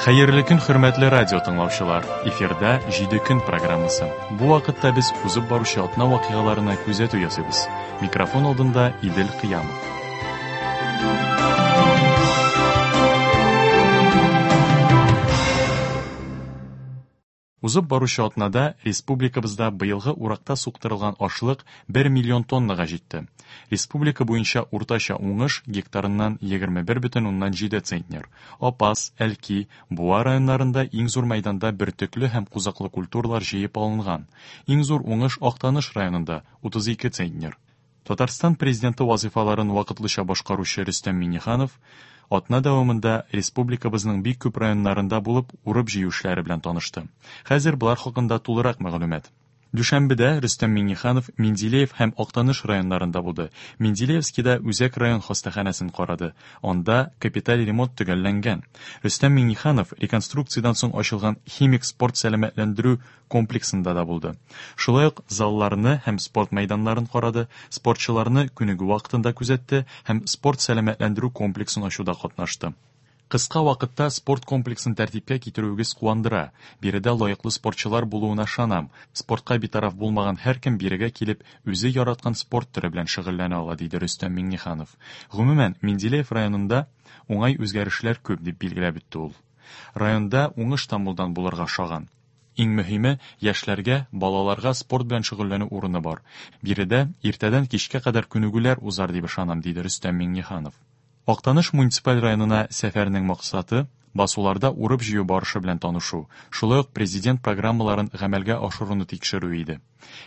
Хәерле көн, хөрмәтле радио тыңлаучылар! Эфирда Җиде көн программасы. Бу вакытта без узып баручы атна вакыйгаларына күзәтү ясыйбыз. Микрофон алдында Идел Кыямов. Узып баручы атнада республикабызда быелгы уракта суктырылган ашлык 1 миллион тоннага җитте. Республика буенча уртача уңыш гектарыннан 21,7 центнер. Апас, Әлки, Буа районнарында иң зур мәйданда бөртекле һәм кузаклы культуралар җыеп алынган. Иң зур уңыш Актаныш районында, 32 центнер. Татарстан Президенты вазыйфаларын вакытлыча башкаручы Рөстәм Миңнеханов атна дәвамында республикабызның бик күп районнарында булып, урып-җыю эшләре белән танышты. Хәзер болар хакында тулырак мәгълүмат. Дүшәмбедә Рөстәм Миңнеханов Менделеев һәм Актаныш районнарында булды. Менделеевскида үзәк район хастаханәсен карады. Анда капиталь ремонт төгәлләнгән. Рөстәм Миңнеханов реконструкциядән соң ачылган Химик спорт сәламәтләндерү комплексында да булды. Шулай ук залларны һәм спорт мәйданнарын карады, спортчыларны күнегү вакытында күзәтте һәм спорт-сәламәтләндерү комплексын ачуда катнашты. Кыска вакытта спорт комплексын тәртипкә китерүегез куандыра. Биредә лаеклы спортчылар булуына ышанам. Спортка битараф булмаган һәркем бирегә килеп, үзе яраткан спорт төре белән шөгыльләнә ала, диде Рөстәм Миңнеханов. Гомумән, Менделеев районында уңай үзгәрешләр күп, дип билгеләп үтте ул. Районда уңыш та мулдан булырга ошаган. Иң мөһиме, яшьләргә, балаларга спорт белән шөгыльләнү урыны бар. Биредә иртәдән кичкә кадәр күнегүләр узар дип ышанам, диде Рөстәм Миңнеханов. Актаныш муниципаль районына сәфәрнең максаты, басуларда урып-җыю барышы белән танышу, шулай ук Президент программаларын гамәлгә ашыруны тикшерү иде.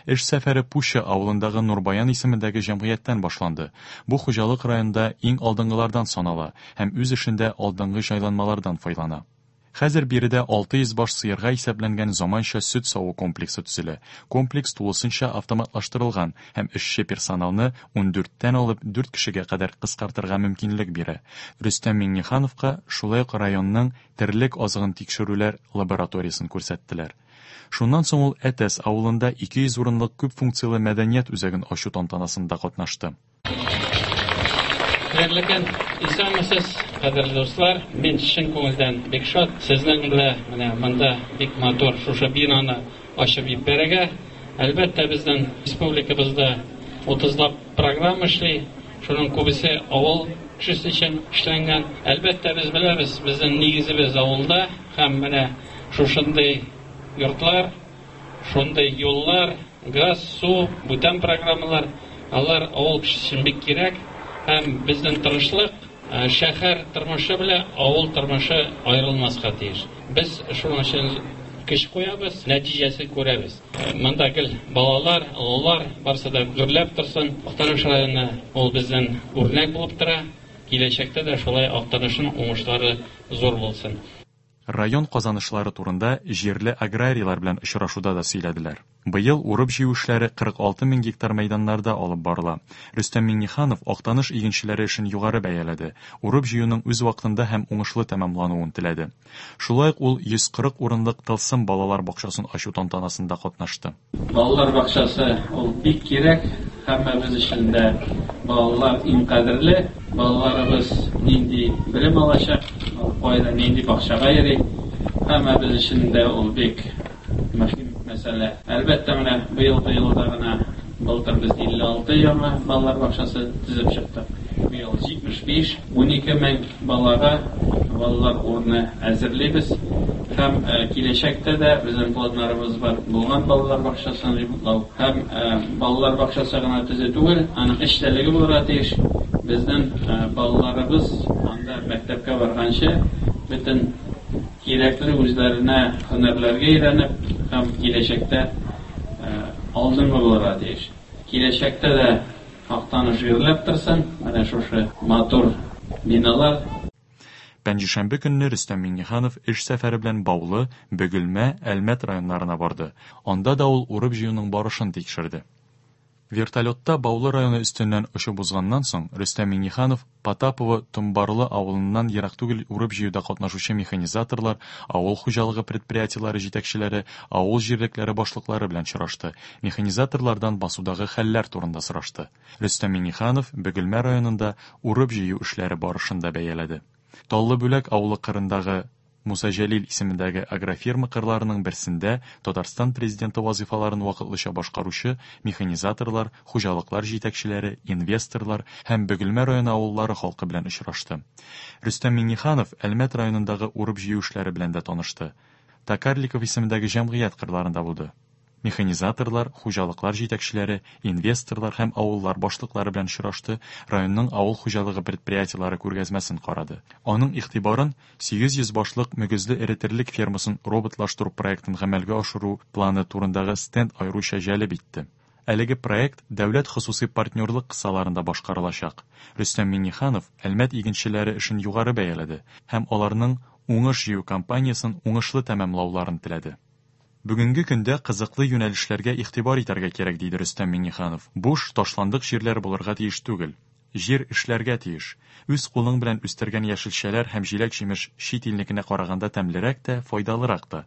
Эш сәфәре Пуща авылындагы Нурбаян исемендәге җәмгыятьтән башланды. Бу хуҗалык районда иң алдынгылардан санала һәм үз эшендә алдынгы җайланмалардан файлана. Хәзер биредә 600 баш сыерга исәпләнгән заманча сөт саву комплексы төзелә. Комплекс тулысынча автоматлаштырылган һәм эшче персоналны ундүрттән алып дүрт кешегә кадәр кыскартырга мөмкинлек бирә. Рөстәм Миңнехановка шулай ук районның терлек азыгын тикшерүләр лабораториясен күрсәттеләр. Шуннан соң ул Әтәс авылында 200 урынлык күп функцияле мәдәният үзәген ачу тантанасында катнашты. Хәерле көн! Исәнмесез, кадерле дуслар! Мин чын күңелдән бик шат, сезнең белән менә монда бик матур шушы бинаны ачып җибәрергә. Әлбәттә, безнең республикабызда утызлап программа эшли, шуның күбесе авыл кешесе өчен эшләнгән. Әлбәттә, без беләбез, безнең нигезебез авылда һәм менә шушындый йортлар, Шундый юллар, газ, су, бүтән программалар, алар авыл кешесе өчен бик кирәк. Һәм безнең тырышлык, шәһәр тормышы белән авыл тормышы аерылмаска тиеш. Без шуның өчен көч куябыз, нәтиҗәсен күрәбез. Монда гел балалар, олылар, барысы да гөрләп торсын. Актаныш районы ул безнең үрнәк булып тора. Киләчәктә дә шулай Актанышның уңышлары зур булсын. Район казанышлары турында җирле аграрийлар белән очрашуда да сөйләделәр. Быел урып-җыю эшләре 46 мең гектар мәйданнарда алып барыла. Рөстәм Миңнеханов Актаныш игенчеләре эшен югары бәяләде, урып-җыюның үз вакытында һәм уңышлы тәмамлануын теләде. Шулай ук ул 140 урынлык Тылсым балалар бакчасын ачу тантанасында катнашты. Балалар бакчасы ул бик кирәк, һәммәбез өчен дә балалар иң кадерле. Балаларыбыз нинди белем алачак, ул кайда, нинди бакчага йөри, һәммәбез өчен дә ул бик мөһим мәсьәлә. Әлбәттә, менә быелгы елда гына, былтыр без 56 яңа балалар бакчасы төзеп чыктык, быел 75, 12 мең балага балалар урыны әзерлибез һәм киләчәктә дә безнең планнарыбыз бар, булган балалар бакчасын ремонтлау һәм балалар бакчасы гына төзү түгел, аның эчтәлеге булырга тиеш. Безнең балаларыбыз анда мәктәпкә барганчы бөтен кирәкле үзләренә һөнәрләргә өйрәнеп һәм киләчәктә алдынгы булырга тиеш. Киләчәктә дә Актаныш гөрләп торсын, менә шушы матур биналар. Пәнҗешәмбе көнне Рөстәм Миңнеханов эш сәфәре белән Баулы, Бөгелмә, Әлмәт районнарына барды. Анда да ул урып-җыюның барышын тикшерде. Вертолетта Баулы районы өстеннән очып узганнан соң, Рөстәм Миңнеханов Потапово Томбарлы авылыннан ерак түгел урып-җыюда катнашучы механизаторлар, авыл хуҗалыгы предприятиеләре җитәкчеләре, авыл җирлекләре башлыклары белән очрашты, механизаторлардан басудагы хәлләр турында сорашты. Рөстәм Миңнеханов Бөгелмә районында урып-җыю эшләре барышын да бәяләде. Таллы Бүләк авылы кырындагы. Муса Җәлил исемендәге агрофирма кырларының берсендә Татарстан Президенты вазыйфаларын вакытлыча башкаручы механизаторлар, хуҗалыклар җитәкчеләре, инвесторлар һәм Бөгелмә районы авыллары халкы белән очрашты. Рөстәм Миңнеханов Әлмәт районындагы урып-җыю эшләре белән дә танышты. Токарликов исемендәге җәмгыять кырларында булды. Механизаторлар, хуҗалыклар җитәкчеләре, инвесторлар һәм авыллар башлыклары белән очрашты, районның авыл хуҗалыгы предприятиеләре күргәзмәсен карады. Аның игътибарын 800 башлык мөгезле эре терлек фермасын роботлаштыру проектын гамәлгә ашыру планы турындагы стенд аеруча җәлеп итте. Әлеге проект дәүләт-хосусый партнерлык кысаларында башкарылачак. Рөстәм Миңнеханов Әлмәт игенчеләре эшен югары бәяләде һәм аларның уңыш җыю кампаниясен уңышлы тәмамлауларын теләде. Бүгенге көндә кызыклы юнәлешләргә игътибар итәргә кирәк, диде Рөстәм Миңнеханов. Буш, ташландык җирләр булырга тиеш түгел. Җир эшләргә тиеш. Үз кулың белән үстергән яшелчәләр һәм җиләк-җимеш чит илнекенә караганда тәмлерәк тә, файдалырак та.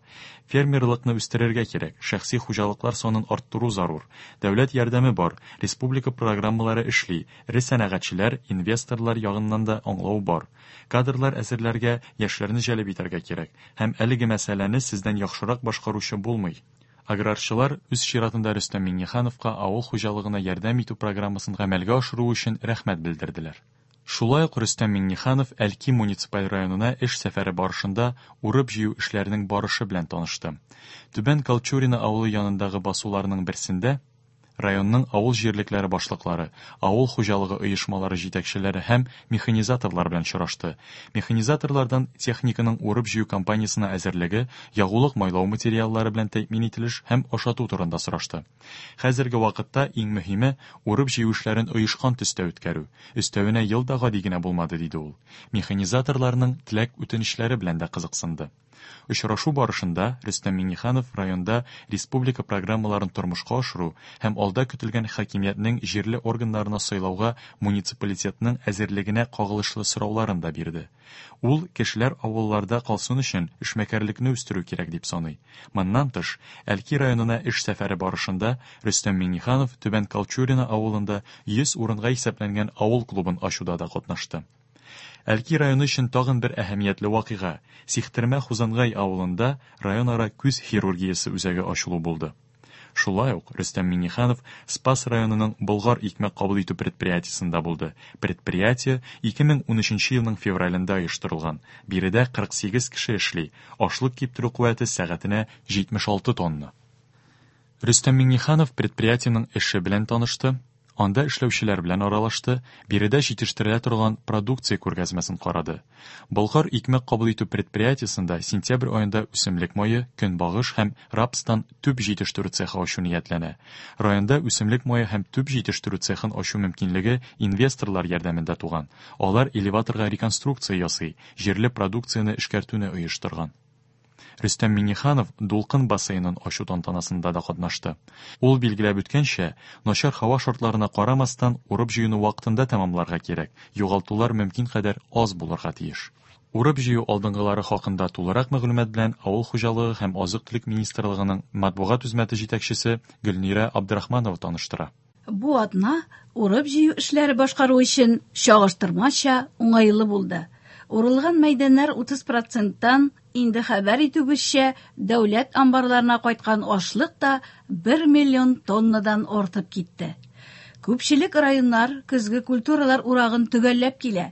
Фермерлыкны үстерергә кирәк, шәхси хуҗалыклар санын арттыру зарур. Дәүләт ярдәме бар, республика программалары эшли, эре сәнәгатьчеләр, инвесторлар ягыннан да аңлау бар. Кадрлар әзерләргә, яшьләрне җәлеп итәргә кирәк. Һәм әлеге мәсьәләне сездән яхшырак башкаручы булмый. Аграрчылар үз чиратында Рөстәм Миңнехановка авыл хуҗалыгына ярдәм итү программасын гамәлгә ашыру өчен рәхмәт белдерделәр. Шулай ук Рөстәм Миңнеханов Әлки муниципаль районына эш сәфәре барышында урып-җыю эшләренең барышы белән танышты. Түбән Колчурино авылы янындагы басуларның берсендә районның авыл җирлекләре башлыклары, авыл хуҗалыгы оешмалары җитәкчеләре һәм механизаторлар белән очрашты. Механизаторлардан техниканың урып-җыю кампаниясенә әзерлеге, ягулык-майлау материаллары белән тәэмин ителеш һәм ашату турында сорашты. Хәзерге вакытта иң мөһиме, урып-җыю эшләрен оешкан төстә үткәрү. Өстәвенә ел да гади генә булмады, диде ул. Механизаторларның теләк-үтенечләре белән дә кызыксынды. Очрашу барышында Рөстәм Миңнеханов районда республика программаларын тормышка ашыру һәм алда көтелгән хакимиятнең җирле органнарына сайлауга муниципалитетның әзерлегенә кагылышлы сорауларын да бирде. Ул, кешеләр авылларда калсын өчен, эшмәкәрлекне үстерү кирәк дип саный. Моннан тыш, Әлки районына эш сәфәре барышында Рөстәм Миңнеханов Түбән Колчурино авылында 100 урынга исәпләнгән авыл клубын ачуда да катнашты. Әлки районы өчен тагын бер әһәмиятле вакыйга, Сихтермә-Хузангай авылында районара күз хирургиясе үзәге ачылу булды. Шулай ук Рөстәм Миңнеханов Спас районының Болгар икмәк кабул итү предприятиесендә булды. Предприятие 2013 елның февралендә оештырылган. Биредә 48 кеше эшли, ашлык киптерү куәте сәгатенә 76 тонна. Рөстәм Миңнеханов предприятиенең эше белән танышты, анда эшләүчеләр белән аралашты, биредә җитештерелә торган продукция күргәзмәсен карады. Болгар икмәк кабул итү предприятиесендә сентябрь аенда үсемлек мае, көнбагыш һәм рапстан түп җитештерү цехы ачу ниятләнә. Районда үсемлек мае һәм түп җитештерү цехын ачу мөмкинлеге инвесторлар ярдәмендә туган. Алар элеваторга реконструкция ясый, җирле продукцияне эшкәртүне оештырган. Рөстәм Миңнеханов Дулкын бассейнын ачу тантанасында да катнашты. Ул билгеләп үткәнчә, начар һава шартларына карамастан, урып-җыюны вакытында тәмамларга кирәк, югалтулар мөмкин кадәр аз булырга тиеш. Урып-җыю алдынгылары хакында тулырак мәгълүмат белән Авыл хуҗалыгы һәм азык-төлек министрлыгының матбугат үзмәте җитәкчесе Гөлнирә Абдрахманова таныштыра. Бу атна урып-җыю эшләре башкару өчен чагыштырмача уңайлы булды. Урылган мәйданнар 30 проценттан, инде хәбәр итүебезчә, дәүләт амбарларына кайткан ашлык та 1 миллион тоннадан артып китте. Күпчелек районнар көзге культуралар урагын төгәлләп килә.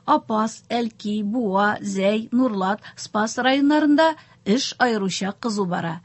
Апас, Әлки, Буа, Зәй, Нурлат, Спас районнарында эш аеруча кызу бара.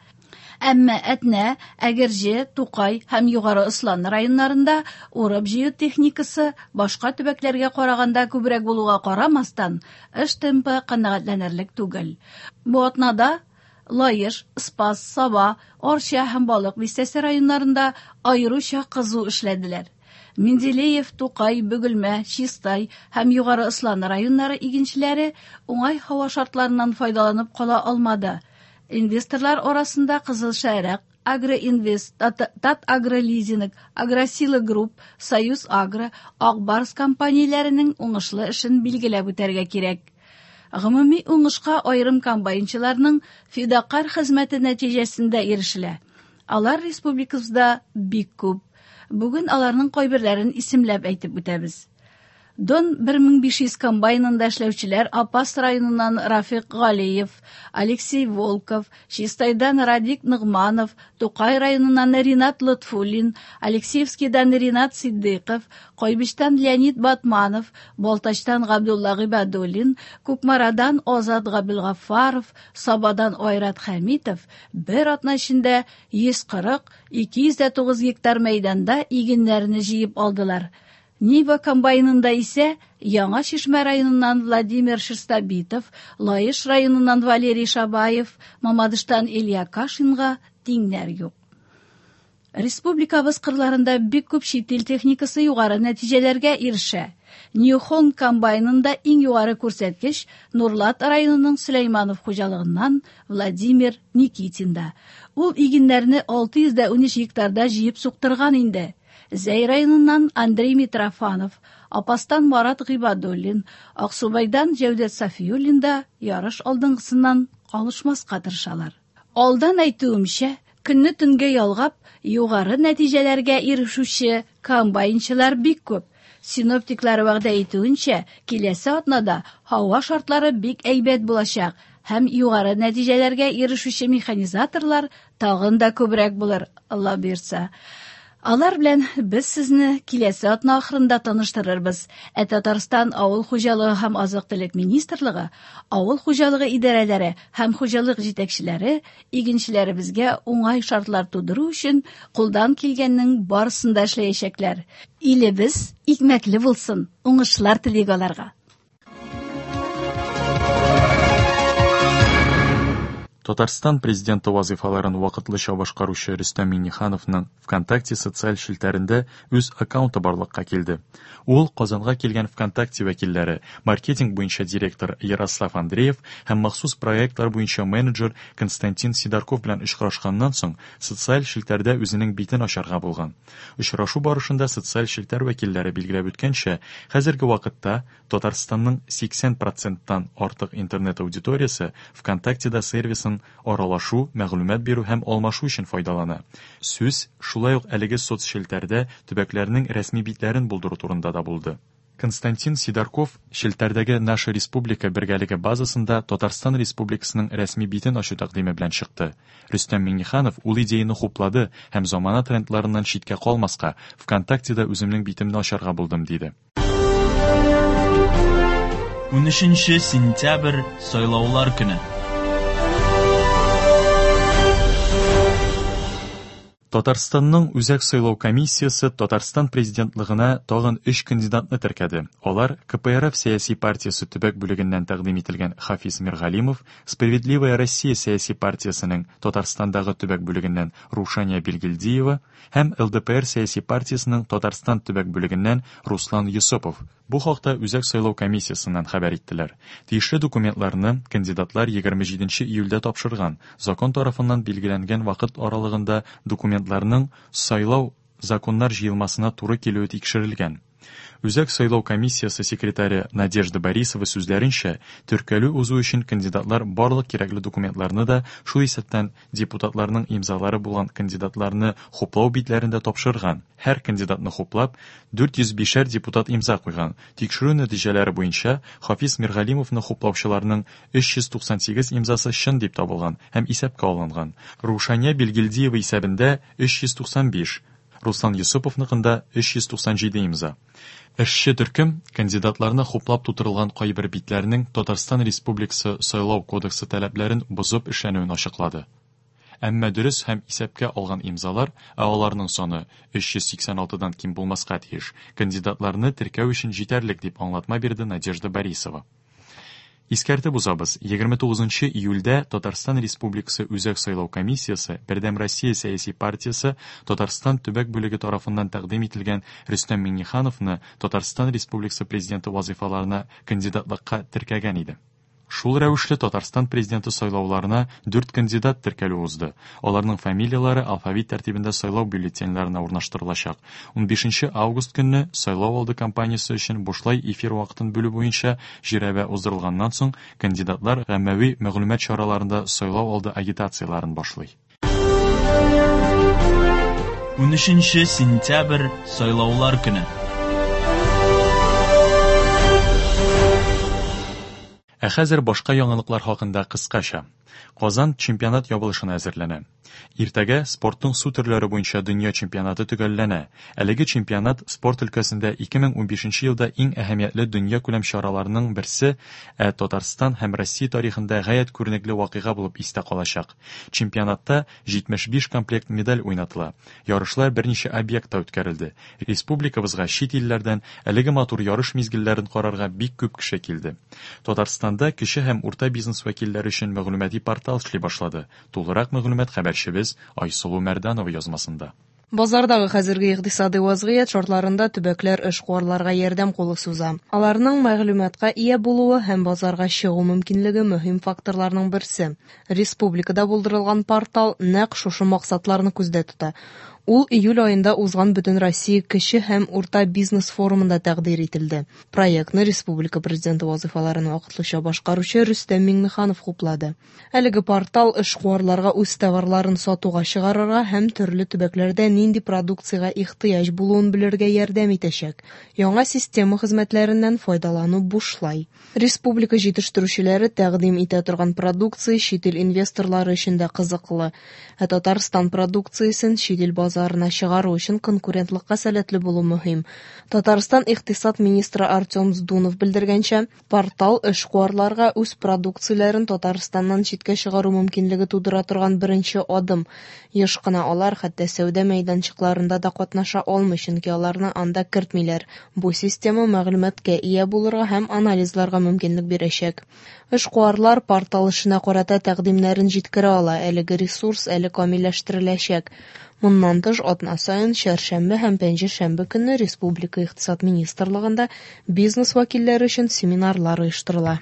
Әмма Әтнә, Әгерҗе, Тукай һәм Югары Ослан районнарында урып-җыю техникасы башка төбәкләргә караганда күбрәк булуга карамастан, эш темпы канәгатьләнерлек түгел. Бу атнада Лаеш, Спас, Саба, Арча һәм Балык Бистәсе районнарында аеруча кызу эшләделәр. Менделеев, Тукай, Бөгелмә, Чистай һәм Югары Ослан районнары игенчеләре уңай һава шартларыннан файдаланып кала алмады. Инвесторлар арасында Кызыл Шәрык, Агроинвест, Татагролизинг, Агросила Групп, Союз Агро, Ак Барс компанияләренең уңышлы эшен билгеләп үтәргә кирәк. Гомуми уңышка аерым комбайнчыларның фидакарь хезмәте нәтиҗәсендә ирешелә. Алар республикабызда бик күп. Бүген аларның кайберләрен исемләп әйтеп үтәбез. Дон 1500 комбайнында эшләүчеләр Апас районыннан Рафик Галиев, Алексей Волков, Чистайдан Радик Ногманов, Тукай районыннан Ринат Лотфуллин, Алексеевскийдан Ринат Сиддыйков, Кайбычтан Леонид Батманов, Балтачтан Габдулла Гыйбадуллин, Кукмарадан Азат Габелгафаров, Сабадан Айрат Хәмитов бер атна эчендә 140, 209 гектар мәйданда игеннәрне җыеп алдылар. Нива комбайнында исә Яңа Чишмә районыннан Владимир Шерстобитов, Лаеш районыннан Валерий Шабаев, Мамадыштан Илья Кашинга тиңнәр юк. Республикабыз кырларында бик күп чит ил техникасы югары нәтиҗәләргә ирешә. Нью-Холм комбайнында иң югары күрсәткеч Нурлат районының Сөләйманов хуҗалыгыннан Владимир Никитинда. Ул игеннәрне 613 гектарда җыеп суктырган инде. Зәй районыннан Андрей Митрофанов, Апастан Марат Гыйбадуллин, Аксубайдан Җәүдәт Сафиуллин да ярыш алдынгысыннан калышмаска тырышалар. Алдан әйтүемчә, көнне төнгә ялгап, югары нәтиҗәләргә ирешүче комбайнчылар бик күп. Синоптиклар вәгъдә итүенчә, киләсе атнада һава шартлары бик әйбәт булачак һәм югары нәтиҗәләргә ирешүче механизаторлар тагын да күбрәк булыр, Алла боерса. Алар белән без сезне киләсе атна ахырында таныштырырбыз. Ә Татарстан авыл хуҗалыгы һәм азык-төлек министрлыгы, авыл хуҗалыгы идарәләре һәм хуҗалык җитәкчеләре игенчеләребезгә уңай шартлар тудыру өчен кулдан килгәннең барысын да эшләячәкләр. Илебез икмәкле булсын, уңышлар телик аларга. Татарстан президенты вазыйфаларын вакытлыча башкаручы Рөстәм Миңнехановның ВКонтакте социаль челтәрендә үз аккаунты барлыкка килде. Ул Казанга килгән ВКонтакте вәкилләре, маркетинг буенча директор Ярослав Андреев һәм махсус проектлар буенча менеджер Константин Сидорков белән очрашканнан соң социаль челтәрдә үзенең битен ачарга булган. Очрашу барышында социаль челтәр вәкилләре билгеләп үткәнчә, хәзерге вакытта Татарстанның 80 проценттан артык интернет аудиториясе ВКонтактеда сервисын аралашу, мәгълүмат бирү һәм алмашу өчен файдалана. Сүз шулай ук әлеге соцчелтәрдә төбәкләрнең рәсми битләрен булдыру турында да булды. Константин Сидорков челтәрдәге Наша Республика бергәлеге базасында Татарстан Республикасының рәсми битен ачу тәкъдиме белән чыкты. Рөстәм Миңнеханов ул идеяне хуплады һәм замана трендларыннан читкә калмаска, ВКонтактеда үземнең битемне ачарга булдым, диде. 13 сентябрь сайлаулар көне. Татарстанның Үзәк сайлау комиссиясе Татарстан президентлыгына тагын өч кандидатны теркәде. Алар КПРФ сәяси партиясе төбәк бүлегеннән тәкъдим ителгән Хафиз Миргалимов, Справедливая Россия сәяси партиясенең Татарстандагы төбәк бүлегеннән Рушания Билгилдиева һәм ЛДПР сәяси партиясенең Татарстан төбәк бүлегеннән Руслан Йосыпов. Бу хакта Үзәк сайлау комиссиясеннән хәбәр иттеләр. Тиешле документларны кандидатлар 27 июльдә тапшырган. Закон тарафыннан билгеләнгән вакыт аралыгында документларның сайлау законнар җыелмасына туры килүе тикшерелгән. Үзәк сайлау комиссиясе секретаре Надежда Борисова сүзләренчә, теркәлү узу өчен кандидатлар барлык кирәкле документларны да, шул исәптән депутатларның имзалары булган кандидатларны хуплау битләрен дә тапшырган. Һәр кандидатны хуплап, 405 депутат имза куйган. Тикшерү нәтиҗәләре буенча Хафиз Миргалимовны хуплаучыларның 398 имзасы чын дип табылган һәм исәпкә алынган. Рушания Билгилдиева исәбендә 395, Руслан Йосыповныкында 397 имза. Эшче төркем кандидатларны хуплап тутырылган кайбер битләрнең Татарстан Республикасы Сайлау кодексы таләпләрен бозып эшләнүен ачыклады. Әмма дөрес һәм исәпкә алган имзалар, ә аларның саны 386-дан ким булмаска тиеш, кандидатларны теркәү өчен җитәрлек дип аңлатма бирде Надежда Борисова. Искәртеп узабыз, 29 июльдә Татарстан Республикасы Үзәк сайлау комиссиясе Бердәм Россия сәяси партиясе Татарстан төбәк бүлеге тарафыннан тәкъдим ителгән Рөстәм Миңнехановны Татарстан Республикасы президенты вазыйфаларына кандидатлыкка теркәгән иде. Шул рәвешле Татарстан президенты сайлауларына 4 кандидат теркәлү узды. Аларның фамилияләре алфавит тәртибендә сайлау бюллетеньләренә урнаштырылачак. 15 август көнне сайлау алды кампаниясе өчен бушлай эфир вакытын бүлү буенча жирәбә уздырылганнан соң кандидатлар гаммәви мәгълүмат чараларында сайлау алды агитацияләрен башлый. 13 сентябрь сайлаулар көне. Ә хәзер башка яңалыклар хакында кыскача. Казан чемпионат ябылышына әзерләнә. Иртәгә спортның су төрләре буенча дөнья чемпионаты төгәлләнә. Әлеге чемпионат спорт өлкәсендә 2015 елда иң әһәмиятле дөньякүләм чараларның берсе, ә Татарстан һәм Россия тарихында гаять күренекле вакыйга булып истә калачак. Чемпионатта 75 комплект медаль уйнатыла. Ярышлар берничә объектта үткәрелде. Республикабызга чит илләрдән әлеге матур ярыш мизгелләрен карарга бик күп кеше килде. Татарстанда кече һәм урта бизнес вәкилләре өчен мәгълүмати портал эшли башлады. Тулырак мәгълүмат хәбәрчебез Айсылу Мәрданова язмасында. Базардагы хәзерге икътисадый вазгыять шартларында төбәкләр эшкуарларга ярдәм кулы суза. Аларның мәгълүматка ия булуы һәм базарга чыгу мөмкинлеге мөһим факторларның берсе. Республикада булдырылган портал нәкъ шушы максатларны күздә тота. Ул июль аенда узган Бөтенроссия кече һәм урта бизнес форумында тәкъдир ителде. Проектны республика президенты вазыйфаларын вакытлыча башкаручы Рөстәм Миңнеханов хуплады. Әлеге портал эшкуарларга үз товарларын сатуга чыгарырга һәм төрле төбәкләрдә нинди продукциягә ихтыяҗ булуын белергә ярдәм итәчәк. Яңа система хезмәтләреннән файдалану бушлай. Республика җитештерүчеләре тәкъдим итә торган продукция чит ил инвесторлары өчен дә кызыклы. Ә Татарстан продукциясен чит ил базарына чыгару өчен конкурентлыкка сәләтле булу мөһим. Татарстан икътисад министры Артем Здунов белдергәнчә, портал эшкуарларга үз продукцияләрен Татарстаннан читкә чыгару мөмкинлеге тудыра торган беренче адым. Еш кына алар хәтта сәүдә мәйданчыкларында да катнаша алмый, чөнки аларны анда кертмиләр. Бу система мәгълүматка ия булырга һәм анализларга мөмкинлек бирәчәк. Эшкуарлар портал эшенә карата тәкъдимнәрен җиткерә ала, әлеге ресурс әле камилләштереләчәк. Моннан тыш, атна саен чәршәмбе һәм пәнҗешәмбе көнне Республика икътисад министрлыгында бизнес вәкилләре өчен семинарлар оештырыла.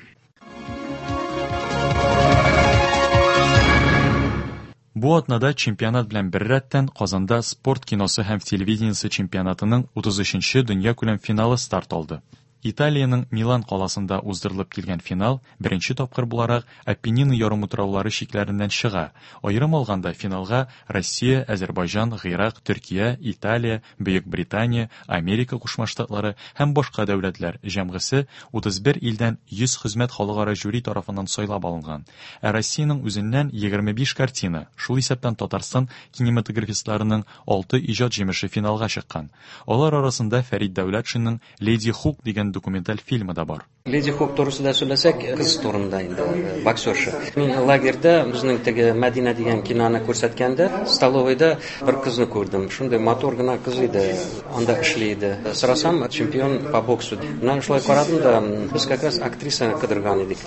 Бу атнада чемпионат белән беррәттән Казанда спорт киносы һәм телевидениесе чемпионатының 33-нче дөньякүләм финалы старт алды. Италиянең Милан каласында уздырылып килгән финал беренче тапкыр буларак Апеннин ярымутраулары чикләреннән чыга. Аерым алганда финалга Россия, Әзербайҗан, Гыйрак, Төркия, Италия, Бөек Британия, Америка Кушма Штатлары һәм башка дәүләтләр җәмгысе 31 илдән 100 хезмәт халыкара жюри тарафыннан сайлап алынган. Ә Россиянең үзеннән 25 картина, шул исәптән Татарстан кинематографистларының 6 иҗат җимеше финалга чыккан. Алар арасында Фәрит Дәүләтшинның Леди Хук дигән документаль фильмы да бар. Леди Хук турысында сөйләсәк, кыз турында инде, боксерша. Мин лагерьда безнең теге Мәдинә дигән киноны күрсәткәндә, столовойда бер кызны күрдем. Шундый матур гына кыз иде, анда эшли иде. Сорасам, чемпион по боксу. Менә шулай карадым да, без как раз актрисаны кыдырган идек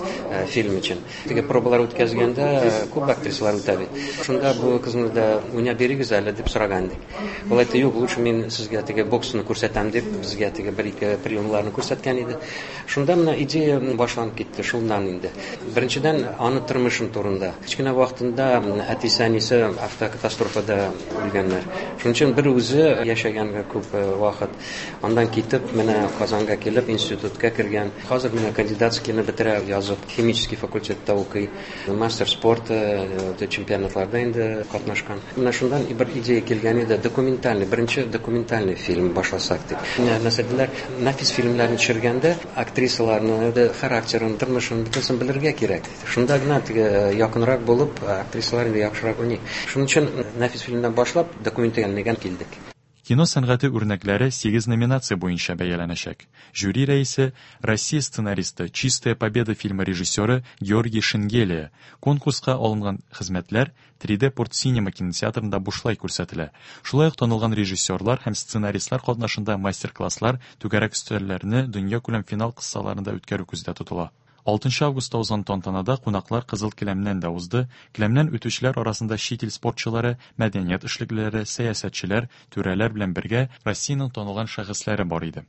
фильм өчен. Теге пробалар үткәзгәндә күп актрисалар үтә бит. Шунда бу кызны да уйнап бирегез әле дип сораган идек. Ул әйтте, юк, лучше мин сезгә теге боксны күрсәтәм дип, безгә теге бер-ике приемларны күрсәткән иде. Шунда менә идея башланып китте, шуннан инде. Беренчедән, аны тормышым турында. Кечкенә вакытында әтисе, әнисе автокатастрофада үлгәннәр. Шуның өчен бер үзе яшәгән күп вакыт. Аннан китеп, менә Казанга килеп, институтка кергән. Хәзер менә кандидатскийны бетерә язып, химический факультетта укый. Мастер спорта, чемпионатларда инде катнашкан. Менә шуннан бер идея килгән иде, документальный, беренче документальный фильм башласак дип. Менә нәрсә нәфис фильмнарны төшергәндә актрисаларны, характерын, тормышын бөтенесен белергә кирәк. Шунда гына теге якынрак булып, актрисалар инде яхшырак уйный. Шуның өчен нәфис фильмнан башлап документальныйга килдек. Кино сәнгате үрнәкләре 8 номинация буенча бәяләнәчәк. Жюри рәисе Россия сценаристы, Чистая победа фильмы режиссеры Георгий Шенгелия. Конкурска алынган хезмәтләр 3D Port Cinema кинотеатрында бушлай күрсәтелә. Шулай ук танылган режиссерлар һәм сценаристлар катнашында мастер-класслар, түгәрәк өстәлләрне дөньякүләм финал кысаларында үткәрү күздә тотыла. 6 августта узган тантанада кунаклар кызыл келәмнән дә узды. Келәмнән үтүчеләр арасында чит ил спортчылары, мәдәният эшлеклеләре, сәясәтчеләр, түрәләр белән бергә Россиянең танылган шәхесләре бар иде.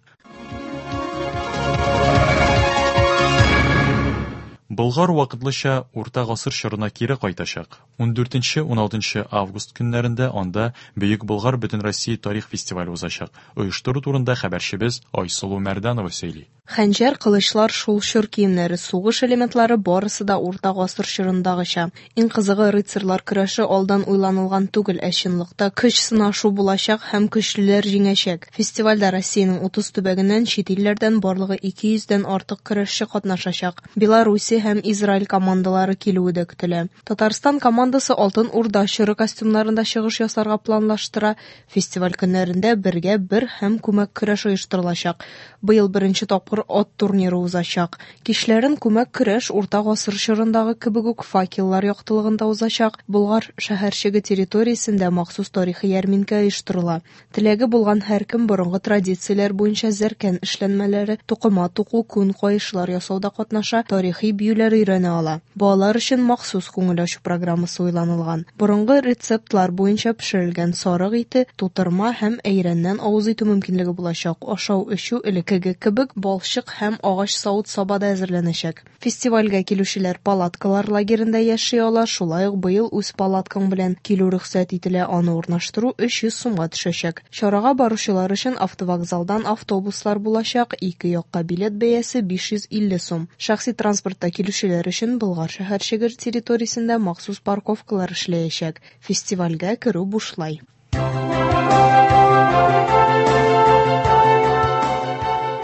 Болгар вакытлыча Урта гасыр чорына кире кайтачак. 14-16 август көннәрендә анда Бөек Болгар Бөтенроссия тарих фестивале узачак. Оештыру турында хәбәрчебез Айсылу Мәрданова сөйли. Хәнҗәр, кылычлар, шул чор киемнәре, сугыш элементлары барысы да урта гасыр чорындагыча. Иң кызыгы, рыцарьлар көрәше алдан уйланылган түгел, ә чынлыкта көч сынашу булачак һәм көчлеләр җиңәчәк. Фестивальдә Россиянең 30 төбәгеннән, чит илләрдән барлыгы 200 дән артык көрәшче катнашачак. Белоруссия һәм Израиль командалары килүе дә көтелә. Татарстан командасы Алтын Урда чоры костюмнарында чыгыш ясарга планлаштыра. Фестиваль көннәрендә бергә бер һәм күмәк көрәш оештырылачак. Быел беренче тапкыр ат турниры узачак. Кичләрен күмәк көрәш урта гасыр чорындагы кебек үк факеллар яктылыгында узачак. Болгар шәһәрчеге территориясендә махсус тарихи ярминкә оештырыла. Теләге булган һәркем борынгы традицияләр буенча зәркән эшләнмәләре, тукыма туку, күн каешлар ясауда катнаша, тарихи биюләр өйрәнә ала. Балалар өчен махсус күңел ачу программасы уйланылган. Борынгы рецептлар буенча пешерелгән сарык ите, тутырма һәм әйрәннән авыз итү мөмкинлеге булачак. Ашау-эчү элеккеге кебек балчык һәм агач савыт-сабада әзерләнәчәк. Фестивальгә килүчеләр палаткалар лагеренда яши ала, шулай ук быел үз палаткаң белән килү рөхсәт ителә, аны урнаштыру 300 сумга төшәчәк. Чарага баручылар өчен автовокзалдан автобуслар булачак, ике якка билет бәясе 550 сум. Шәхси транспортта килүчеләр өчен Болгар шәһәрчеге территориясендә махсус парковкалар эшләячәк. Фестивальгә керү бушлай.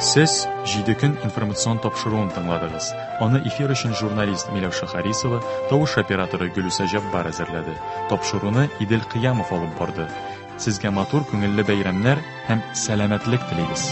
Сез Җиде көн информацион тапшыруын тыңладыгыз. Аны эфир өчен журналист Миләүшә Харисова, тавыш операторы Гөлүсә Җаббар әзерләде. Тапшыруны Идел Кыямов алып барды. Сезгә матур күңелле бәйрәмнәр һәм сәламәтлек телибез.